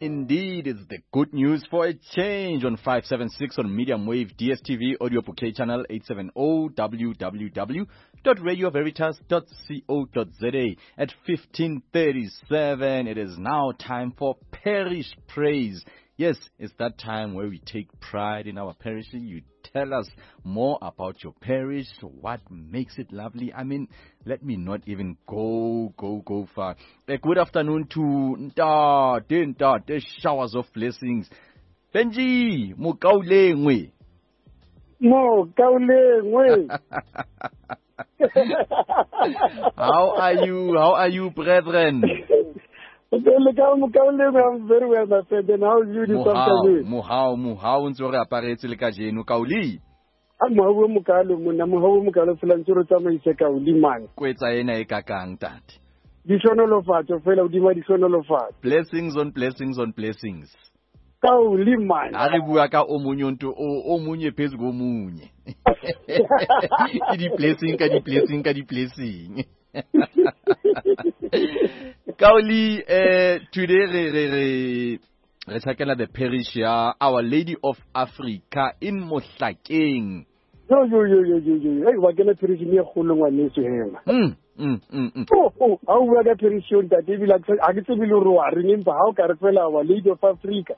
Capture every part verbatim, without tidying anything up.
Indeed, it's the good news for a change on five seven six on medium wave D S T V, audio bouquet channel eight seven oh, w w w dot radio veritas dot co dot z a. At fifteen thirty-seven, it is now time for Parish Praise. Yes, it's that time where we take pride in our parish. You tell us more about your parish, what makes it lovely. I mean, let me not even go, go, go far. A good afternoon to Ntate, Ntate, showers of blessings. Benji, Mokaulengwe. Mokaulengwe. How are you? How are you, brethren? I'm very well, my friend. And how are you this afternoon? Mohau, mohau, ntse re aparetse le kajeno, Kauli. A mohau mokalo monna, mohau mokalo fela ntse re tsamaise Kauli man. Kwetsa ena e kakang tate. Dihlonolofatso fela hodima dihlonolofatso. Blessings on blessings on blessings. Kauli man. Ha re bua ka o monye nto o o monye phezu komunye. Ke di blessing ka di blessing ka di blessing. Kauli, eh, today re re re re tshakela the parish ya Our Lady of Africa in Mohlakeng. Yo yo yo yo yo yo. Hey, wa kena parish e kgolo ngwaneso hema. Mm mm mm mm. Oh oh, ha o bua ka parish yo ntate ebile ha ke tsebe le hore wa reng empa ha o ka re fela Our Lady of Africa.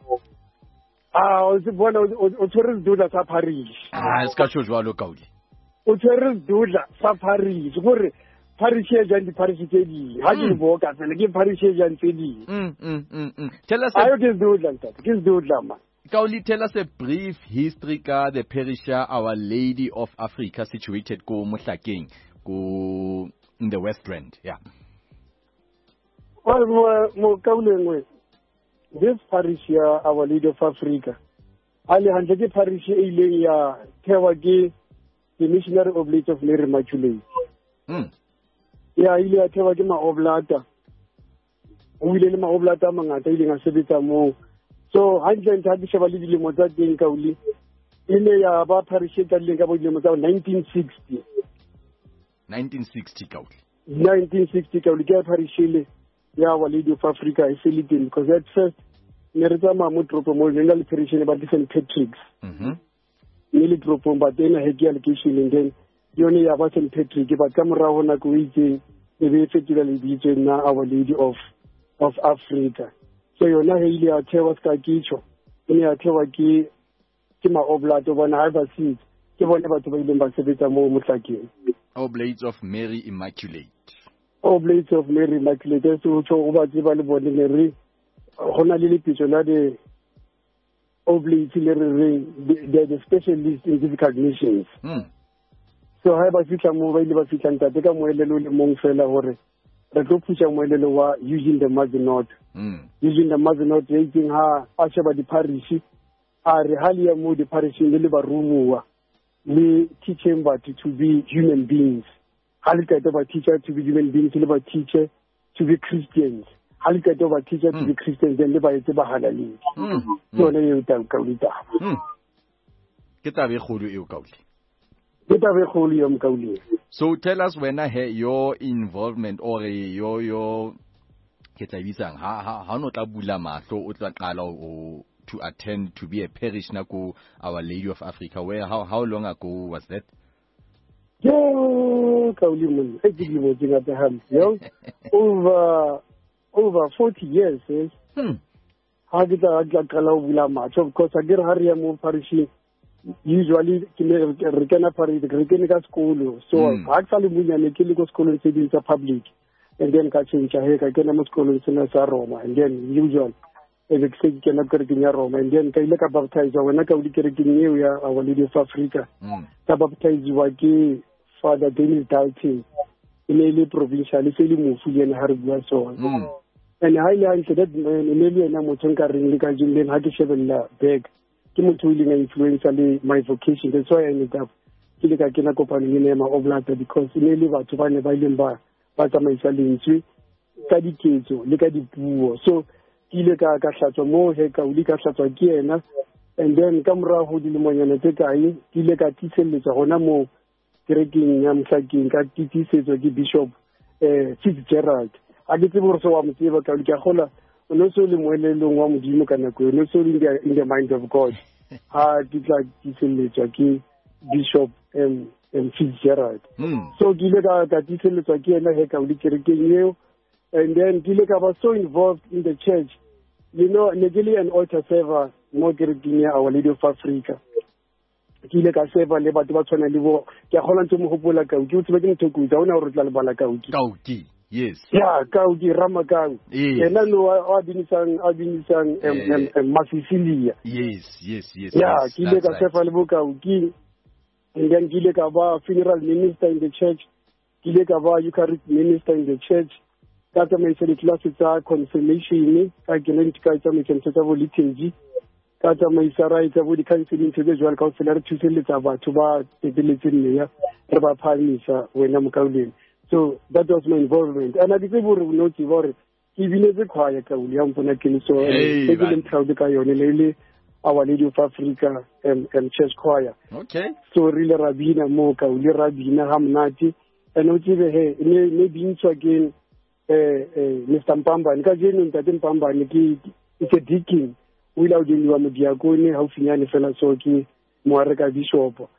Ah, o se bona o tshwere sedula sa parish. Ah, se ka tjho jwalo Kauli. O tshwere sedula sa parish gore parish e jang di-parish tse ding. Ha ke di boka fela, ke parish e jang tse ding. Mm, mm, mm, mm. Tell us a... Ayo ke sedula ntate, ke sedula man. Kauli, tell us a brief history ka the parish ya Our Lady of Africa situated ko Mohlakeng, ko in the West Rand. Yeah. Well, Mokaulengwe, this parish ya Our Lady of Africa, ha le hantle ke parish e ileng ya thewa ke the Missionary Oblates of Mary Immaculate. Mm. Ya ile ya thewa ke maoblata. O ile le maoblata a mangata a ileng a sebetsa moo. So hantle ntho ha ke sheba le dilemo tsa teng Kauli, e ne ya ba parish e qadileng ka bo dilemo tsa nineteen sixty. nineteen sixty Kauli. nineteen sixty Kauli ke parish ele ya Our Lady of Africa e se le teng, because at first ne re tsamaya mo toropong mo le le parish ne ba di Saint Patrick's. Mhm. Ne le toropong ba tena he ke ya lekeisheneng, then yone ya ba Saint Patrick, but ka morao nako e itseng e be e fetola lebitso nna Our Lady of of Africa. So yona he ile ya thewa ska kitjho, e ne ya thewa ke ke maoblato bona ha ba sitse ke bone batho ba ileng ba sebetsa moo Mohlakeng. Oblates of Mary Immaculate. Oblates of Mary Immaculate, so tjho o ba tseba le bone ne re hona le lepitso la de Oblates le re reng they are the specialists in difficult missions. Mm. So ha ba fihla moo ba ile ba fihla ntate ka moelelo le mong fela hore re tlo phusha moelelo wa using the Mazenod. Mm. Using the Mazenod e itseng ha a sheba di-parish, a re ha le ya moo di-parisheng le le baromuwa le teaching batho to be human beings. Ha le qeta ba teacher to be human beings, le ba teacher to be Christians. Ha le qeta ba teacher to be Christians, then le ba etse bahalaledi. Mm. Ke yone eo Kauli taba. Mm. Ke taba e kgolo eo Kauli. So tell us when I hear your involvement or your your ke tla bitsang ha ha ha no tla bula mahlo o tla qala o to attend to be a parishioner ko Our Lady of Africa, where how how long ago was that? Yo Kauli monna e ke dilemo tse ngata hampe yo over over forty years. Eh? Hmm. Ha ke tla tla qala ho bula mahlo because a ke re ha re ya mo parishing usually ke ne re kena parish re kene ka sekolo, so ha ke sa le monyane ke le ko sekolong tse ding tsa public, and then ka change he ka kena mo sekolong sena sa Roma, and then usually e be ke se ke kena kerekeng ya Roma, and then ka ile ka baptize wena ka o di kerekeng eo ya Our Lady of Africa. Mm. Ka baptiziwa ke Father Dennis Dalton, e ne e le provincial e se le mofu le ena ha re bua sona. Mm. And ha ile hantle that man e ne le yena motho nka reng le kajeno le ha ke shebella back ke motho o ileng a influencer le my vocation. That's why I ended up ke le ka kena kopanong ena ya maoblata, because e ne le batho ba ne ba ileng ba ba tsamaisa lentswe ka diketso le ka dipuo. So ke ile ka ka hlatswa moo he Kauli, ka hlatswa ke yena, and then ka morao ho dilemonyana tse kae ke ile ka tiiselletswa hona moo kerekeng ya Mohlakeng, ka tiisetswa ke Bishop eh Fitzgerald. Ha ke tsebe hore se wa mo tseba Kauli, ke a kgola o no so le moelelong wa modimo ka nako eo, no so in the, in the mind of God. Ha ke tla tiiselletswa ke Bishop um, um, Fitzgerald. Mm. So ke ile ka ka tiiselletswa ke yena he ka o le kerekeng eo. And then ke ile ka ba so involved in the church. You know, ne ke le an altar server mo kerekeng ya Our Lady of Africa. Ke ile ka serva le batho ba tshwana le bo, ke a kgona ntse mo hopola Kauki, o tsebe ke motho o ha ona hore o tla lebala Kauki. Kauki, yes. Yeah, Kauki Ramakau. Yes. Yena no a binisang a binisang Masisilia. Yes, yes, yes. Yeah, yes, ke ile ka right. serva le bo Kauki. And then ke ile ka ba funeral minister in the church. Ke ile ka ba Eucharist minister in the church. Ka tsamaisa ditlelase tsa confirmation, ka kena ka tsamaisa ntho tsa bo liturgy, ka tsamaisa ra etsa bo di-counseling ntho tse jwalo kaofela, re thuselletsa batho ba tepeletseng meya, re ba phahamisa wena mokauleng. So that was my involvement. And I ke tsebe hore o no tseba hore ke binetse choir ka ya mpona ke le so Hey, ke man. leng proud ka yone le le Our Lady of Africa um, um, Church Choir. Okay. So re ile ra bina moo ka le ra bina ha monate. And o tsebe he ne ne bintshwa ke eh eh Mister Mpambane. Ka jeno ntate Mpambane ke ke deacon. O ile a ordiniwa modiakone haufinyane fela, so ke moareka bishop.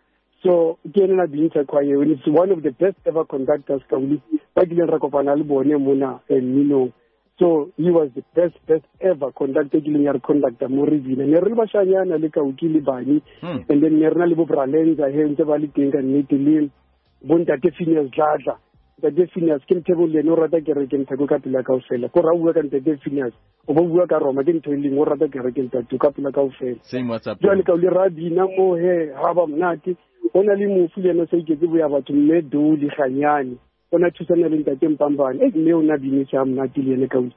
So ke ena na bintsha choir, and it's one of the best ever conductors ka uli ba kileng ra kopana le bone mona mminong. So he was the best best ever conductor kileng ya re conductor mo re bina. Ne re le bashanyana le Kauki le Bani. Hmm. And then ne re na le bo Bralenza he ntse ba le teng ka nnete le bo ntate Phineas Dladla. Ntate Phineas ke Mtheko le ene o rata kereke Mtheko ka pela kaofela. Ko ra bua ka ntate Phineas, o bo bua ka Roma ke ntho e leng o rata kereke ntate ka pela kaofela. Same WhatsApp. Jwale ka o le ra bina mo he ha ba monate. Ho na le mofu le ena o sa iketse boya batho mme Doli Ganyane. O na thusana le ntate Mpambane. E mme o na binetse ha monate le ene ka o.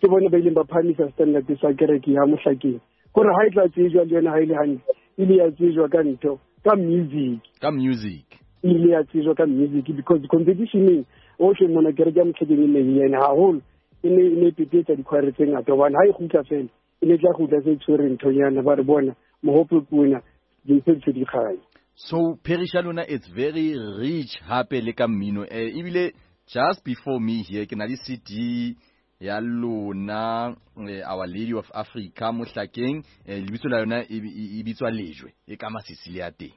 Ke bone ba ileng ba phahamisa standard sa kereke ya Mohlakeng. Kore ha e tla tsejwa le yona ha e le hantle, e ile ya tsejwa ka ntho, ka music. Ka music. E ile ya tsejwa ka music because the competition ohle mona kereke ya Mohlakeng e ne e ena haholo. E ne e ne petetsa dikhwaere tse ngata hobane ha e kgutla fela, e ne tla kgutla se tshwere nthonyana ba re bona mohope kuna dintho tse di kganya. So parish ya lona it's very rich hape le ka mmino. Eh ebile just before me here ke na le C D ya lona eh, Our Lady of Africa Mohlakeng, eh, lebitso la yona e e bitswa Lejwe e ka Masisilia teng.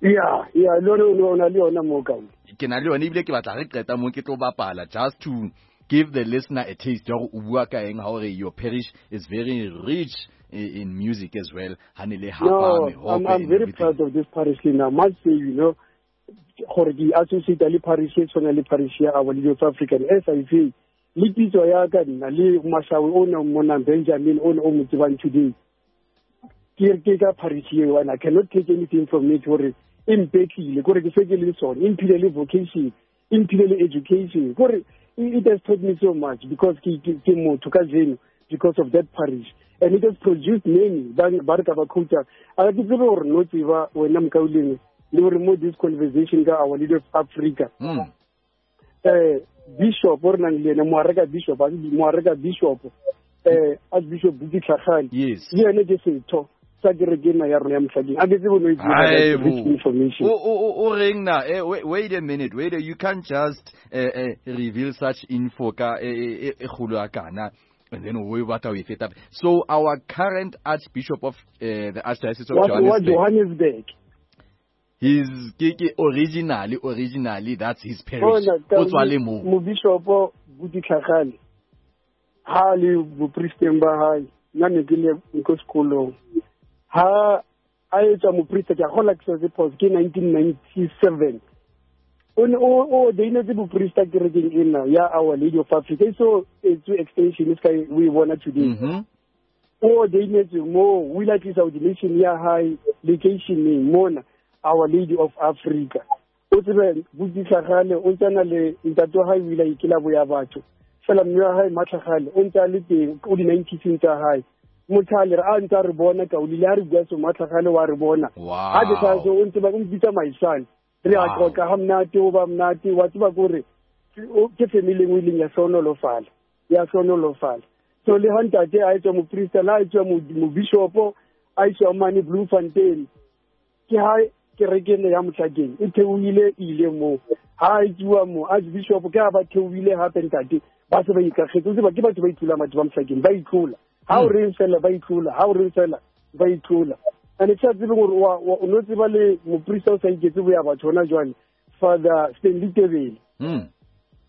Yeah, yeah, lona o na le yona mo ka. Ke na le yona ebile ke batla re qeta mo ke tlo bapala just to give the listener a taste ya hore o bua ka eng ha hore your parish is very rich in music as well. Hanele hapa No, I'm, I'm very proud of this parish now. Must say, you know, gore di associate le parish e tshwana le parish ya Our Lady of Africa S I V. Le pitso ya ka nna le Mashawe o ne mona Benjamin o ne o mo tsebang today. Ke ke ka parish eo, and I cannot take anything from it hore e mpetlile, kore ke se ke le sone, e mphile le vocation, e mphile le education. Kore it has taught me so much because ke ke motho ka jeno because of that parish. And it has produced many ba re ka ba quota. A ke tsebe hore no tseba wena mokauleng le hore mo this conversation ka Our Lady of Africa. Mm. Eh Bishop o re nang le ena moareka Bishop, moareka Bishop eh Archbishop Buti Tlhagale. Yes. Le ene ke setho sa kereke ena ya rona ya Mohlakeng. A ke tsebe no e information. O o o reng na eh wait, wait a minute, wait a, you can't just uh, uh, reveal such info ka e e kgolo ya kana. And then we what we fit up. So our current Archbishop of uh, the Archdiocese of what, Johannesburg, Johannesburg. He's ke originally originally that's his parish. O tswa le mo. Mo Bishop Buti Tlhagale. Ha le bopristeng ba hae, nna ne ke le ko sekolong. Ha a etswa moprista ke a kgola ke se pause ke nineteen ninety-seven. O ne o o ordainetse boprista kerekeng ena ya Our Lady of Africa. So it's extension is kai we bona today. Mhm. O ordainetse mo o ile a tlisa ordination ya hae locationeng mona Our Lady of Africa. O tsebe Buti Tlhagale o tsana le ntate wa hae o ile a ikela boya batho. Fela mme wa hae Matlhagale o ntse a le teng o di nineties tsa hae. Motho a ntse a re bona ka o ile a re bua so Matlhagale wa re bona. Wow. Ha ke sa so o ntse ba o mpitsa my son. Re a qoqa ha monate o ba monate wa tseba kore ke family engwe leng ya hlohonolofala ya hlohonolofala. So le ha ntate a etswa moprista la etswa mo bishop a iswa mane Bloemfontein ke ha kereke ena ya Mohlakeng e theohile ile mo ha e tsuwa mo Archbishop ke ha ba theohile hape ntate Ba se ba ikagetse, o tseba ke batho ba itlola batho ba Mohlakeng, ba itlola. Ha o reng fela ba itlola, ha o reng fela ba itlola. And ke sa tsebe gore o no tseba le moprista o sa iketse boya batho hona jwale, Father Stanley Tebele. Mm.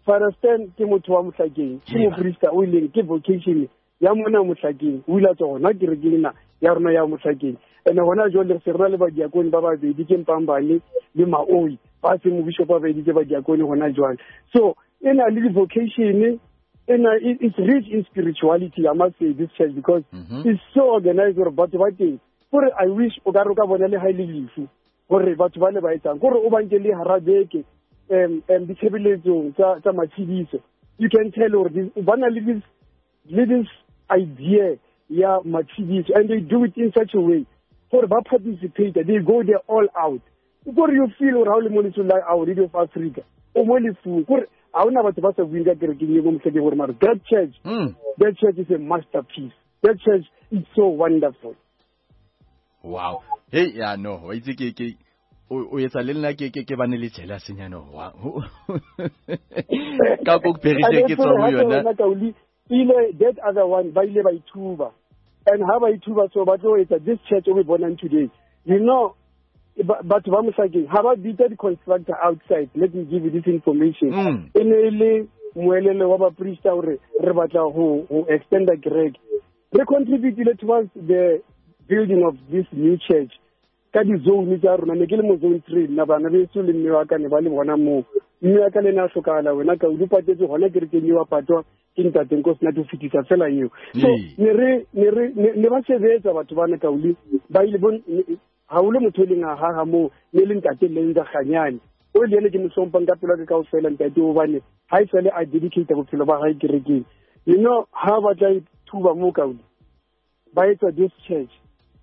Father Stan ke motho wa Mohlakeng, ke moprista o ileng ke vocation ya mona Mohlakeng, o ile a tswa hona kerekeng ena ya rona ya Mohlakeng. And hona jwale re se re na le badiakone ba babedi, ke Mpambane le Maoi, ba se mobishopo ba babedi ke badiakone hona jwale. So ena le vocation ena, it's rich in spirituality, I must say, this church, because mm-hmm. it's so organized gore batho ba teng. Gore I wish o ka re o ka bona le ha ile lefu gore batho ba le ba etsang, gore o banke le hara beke um um ditshebeletsong tsa tsa matshediso. You can tell gore ba na le this le this idea ya matshediso, and they do it in such a way gore ba participate, they go there all out. Gore you feel gore ha o le mo letsong la Our Radio of Africa, o mo lefung, gore ha hona batho ba sa bueng ka kerekeng e mo Mohlakeng gore mara that church, mm. that church is a masterpiece. That church is so wonderful. Wow. Hey, yeah, no, wa itse ke ke o etsa le nna ke ke ke bane le jealous nyana wa. Ka go perise ke tswa mo yona. Ile that other one ba ile ba ithuba. And ha ba ithuba so ba tlo etsa this church o be bonang today. You know, batho ba Mohlakeng ha ba bitsa di constructor outside. Let me give you this information. Mm. E ne le moelelo wa baprista hore re batla ho ho extend the kereke. Re contribute towards the building of this new church. Ka di-zone tsa rona, ne ke le mo zone three, nna bana beso le mme wa ka ne ba le bona moo. Mme wa ka le ena a hlokahala, wena ka o patetse hona kerekeng eo a patwa ke ntate Nkosinathi ho fetisa fela eo. So ne re ne re ne ba sebetsa batho bana Kauli, ba ile bon ha o le motho e leng a haha moo, ne le ntate le ntsa Kganyane. O le ene ke mo hlomphang ka pelo ya ka kaofela ntate, hobane ha e sale a dedicate bophelo ba hae kerekeng. You know, ha ba tla ithuba moo Kauli, ba etsa this church.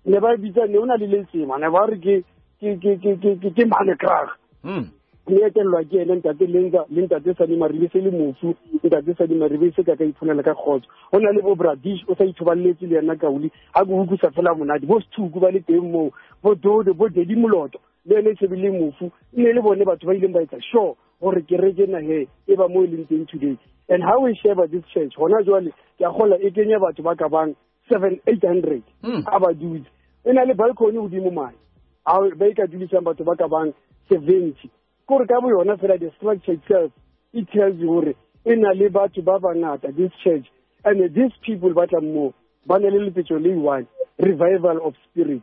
Ne ba bitsa ne ona le letsema, ne ba re ke ke ke ke ke ke Manekrag. Mm. Ne etellwa ke ene ntate Lenza le ntate Sani Maribe se le mofu, ntate Sani Maribe se ka ka iphonela ka kgotso. Ho na le bo Bradish o sa ithoballetse le yena Kauli, ha go utlwisa fela monate, bo Sethuku ba le teng moo, bo Dodo, bo Dedi Moloto, le ene se bile mofu, ne le bone batho ba ileng ba etsa sure gore kereke na he e ba mo e leng teng today. And how we share this church hona jwale ke a kgola e kenya batho ba ka bang seven eight hundred a ba dutse. E na le balcony hodimo mane, a ba e ka dulisang batho ba ka bang seventy. Kore ka bo yona fela the structure itself, it tells you hore e na le batho ba bangata this church, and these people ba tla moo ba na le lepetjo le one, revival of spirit.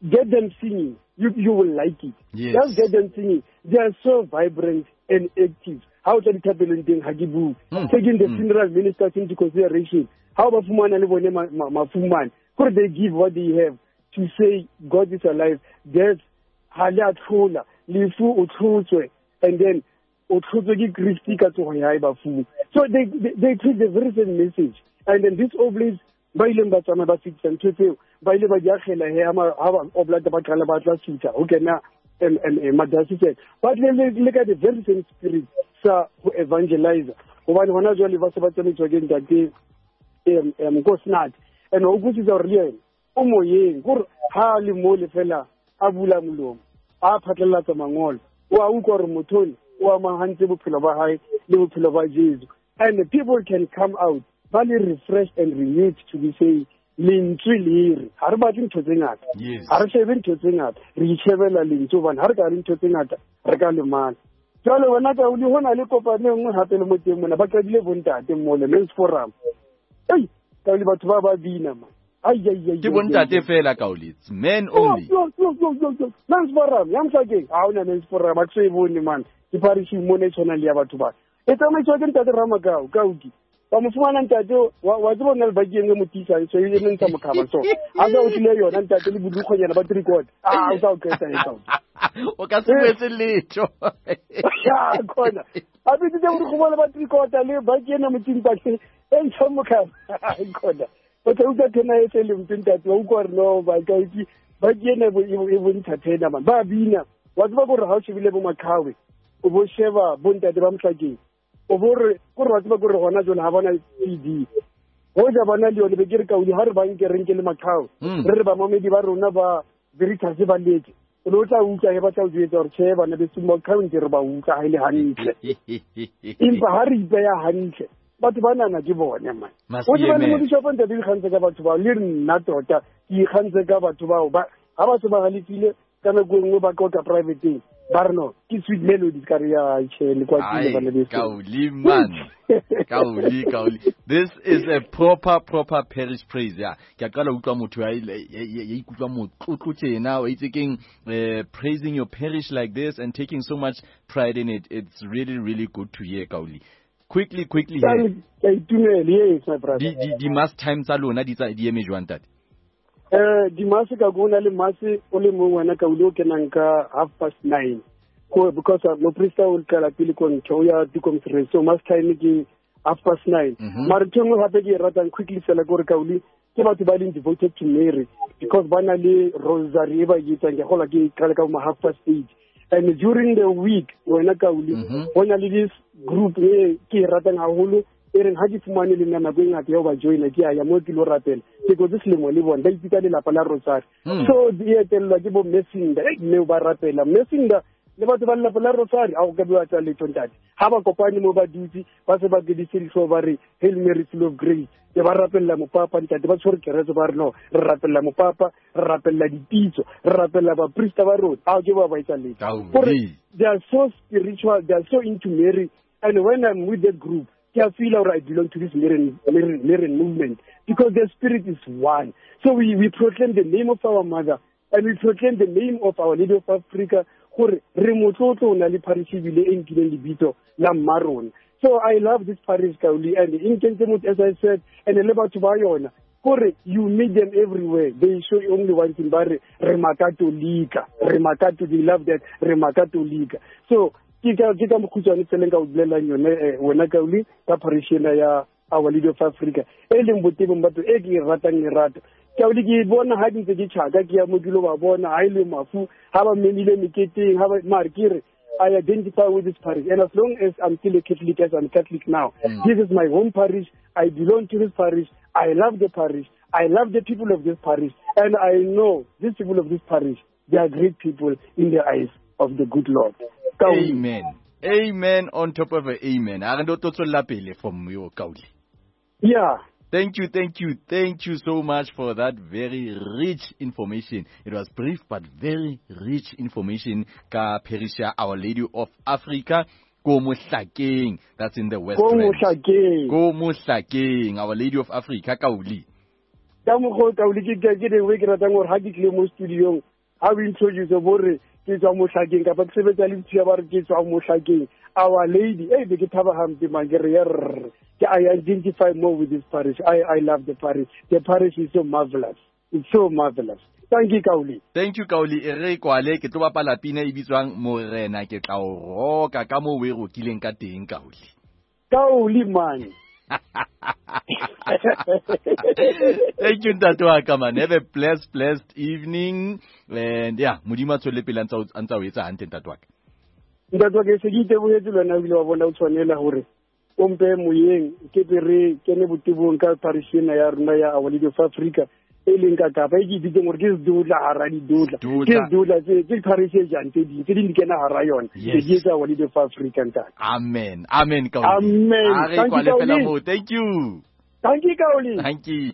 Get them singing, you you will like it. Yes. Just get them singing. They are so vibrant and active. Ha o tla dithapelong teng ha ke bue. Taking the Mm. funeral ministers into consideration, how ba fumana le bone mafumane, gore they give what they have to say God is alive. Death ha le a tlhola, lefu o tlhotswe, and then o tlhotswe ke Christ ka tsogo ya hae bafung. So they, they they preach the very same message. And then these oblates ba ileng ba tsamaya ba fetisa ntho tseo, ba ile ba di akgela he ha ba oblata ba qala ba tla sutha ho kena madasiseng, ba tle le ka the very same spirit sa ho evangelize. Hobane hona jwale ba se ba tsamaiswa ke ntate Nkosinathi, and o utlwisisa hore le yena o moyeng, kore ha le mo le fela a bula molomo a phatlalatsa mangolo, o a utlwa hore motho ona o amahantse bophelo ba hae le bophelo ba Jesu. And the people can come out ba le refreshed and renewed to be saying lentswe le re ha re batle ntho tse ngata, ha re shebe ntho tse ngata, re itshebela lentswe, hobane ha re ka re ntho tse ngata re ka lemala. Jwale wena Kauli, ho na le kopano e nngwe hape le mo teng mona, ba qadile bontate mole Men's Forum. Ei, Kauli batho ba ba bina man. Ai ai ai. Ke bontate fela Kauli, it's men only. Yo yo yo yo yo. Men's Forum, ya Mohlakeng. Ha hona Men's Forum, a ke so e bone man. Ke parish mona e tshwanang le ya batho ba. E tsamaiswa ke ntate Ramakau, Kaudi. Ba mo fumana ntate wa wa tseba nna le baki e nngwe mo tiisang, so e le ntsha mokhaba so. A sa o tlile yona ntate le bodukgonyana ba three quarter. Ah, o sa o qeta e Kaudi. O ka se boetse letho. Ya khona. A bitsitse bodukgonyana ba three quarter le baki ena mo timpake e ntsha mokhaba. Khona. O tla utlwa thena e se le mpe ntate, wa utlwa hore no ba ka itse baki ena e bontsha thena man. Ba bina. Wa tseba gore ha o shebile bo Makhawe, o bo sheba bo ntate ba Mohlakeng, o bo re kore wa tseba gore hona jwale ha bona C D. Hoja bona le yone be ke re Kauli ha re ba nke re nke le Makhawe, re re bamamedi ba rona ba Veritas ba leke. O no tla utlwa he ba tla o jwetsa hore tjhe bana beso Makhawe ntse re ba utlwa ha e le hantle. Empa ha re ipeya hantle, Batho ba nana ke bone man. O tseba le modishopo ntate di ikgantse ka batho bao le nna tota ke ikgantse ka batho bao ba ha ba se ba halefile ka nako e nngwe ba qoqa privateng ba re no ke sweet melodies ka re ya tjhe le kwa ke bana beso. Kauli man. Kauli Kauli. This is a proper proper parish praise ya. Ke a qala utlwa motho ya ya ikutlwa motlotlo tjena o itse keng praising your parish like this and taking so much pride in it. It's really really good to hear, Kauli. Quickly, quickly here. Yes, my brother. Di di di mass time tsa lona di tsa di eme jwang ntate? Eh di mass ka go na le mass o le mong wena ka o kenang ka half past nine. Ko because mo priest o qala pele ko ntho ya di conference, so mass time ke half past nine. Mara ntho nngwe hape ke e ratang quickly fela gore Kauli ke batho ba leng devoted to Mary because ba na le rosary e ba e etsang ke gola ke qala ka ma half past eight. And during the week wena Kauli go na le this group e ke e ratang haholo e reng ha ke fumane le nna nako e ngata ya ho ba joina ke a ya mo ke lo rapela ke kotse selemo le bona ba ipitsa lelapa la rosary. So di etellwa ke bo Messinda mme ba rapela Messinda le batho ba lelapa la rosary a go ka bua tsa letho ntate ha ba kopane mo ba dutse ba se ba kedise dihlooho ba re Hail Mary full of grace ke ba rapella mopapa ntate ba tshwere keretse ba re no re rapella mopapa re rapella dipitso re rapella baprista ba rona a ke ba ba etsa letho. Gore they are so spiritual, they are so into Mary, and when I'm with that group I feel like I belong to this Marian, Marian, Marian movement because the spirit is one. So we, we proclaim the name of our mother and we proclaim the name of Our Lady of Africa. Gore re motlotlo o na le parish ebile e nkileng lebitso la mma rona. So I love this parish, Kauli, and in Kentemut, as I said, and le batho ba yona. Gore you meet them everywhere. They show you only one thing, ba re re makatolika, re makatolika, they love that, re makatolika. So ke ka ke ka mokhutswane tseleng ka o bolelang yone wena Kauli ka parish ena ya Our Lady of Africa e leng botebong batho e ke e ratang lerato. Kauli ke bona ha di ntse ke tjhaka ke ya mo ke lo ba bona ha ile mafu ha ba memile meketeng ha ba mare ke re I identify with this parish, and as long as I'm still a Catholic, as I'm Catholic now, mm. this is my home parish. I belong to this parish. I love the parish. I love the people of this parish, and I know these people of this parish, they are great people in the eyes of the good Lord. Kauli. Amen. Amen on top of amen. A re ndo tlo tswella pele from yo Kauli. Yeah. Thank you, thank you, thank you so much for that very rich information. It was brief but very rich information. Ka parish ya Our Lady of Africa, ko Mohlakeng. That's in the West Ko Rand. Mohlakeng. Ko Mohlakeng, Our Lady of Africa, Kauli. Ka mokgwa o Kauli ke ke the way ke ratang hore ha ke tlile mo studio-ong, ha o introduce bo re ke tswa Mohlakeng kapa ke sebetsa le batho ba re ke tswa Mohlakeng. Our Lady, eh be ke thaba hampe man ke re yerr. I identify more with this parish. I, I love the parish. The parish is so marvelous. It's so marvelous. Thank you, Kauli. Thank you, Kauli. E re kwale ke tlo bapala pina e bitswang Morena ke tla o roka ka moo o e rokileng ka teng, Kauli. Kauli man. Thank you, ntate wa ka man. Have a blessed, blessed evening. And yeah, Modimo a tswelle pele a ntsa o etsa hantle, ntate wa ka. Ntate wa ka, se ke itebohetse le wena o ile wa bona o tshwanela hore o mpe moyeng ke be re kene botebong ka parish ena ya rona ya Our Lady of Africa e leng ka Kapa e ke itseng gore ke sedutla hara didutla ke sedutla tse ke parish e jang tse ding tse ding di kena hara yona ke di etsa Our Lady of Africa ntate. Amen. Amen Kauli. Amen. Thank you. Thank you. Thank you Kauli. Thank you.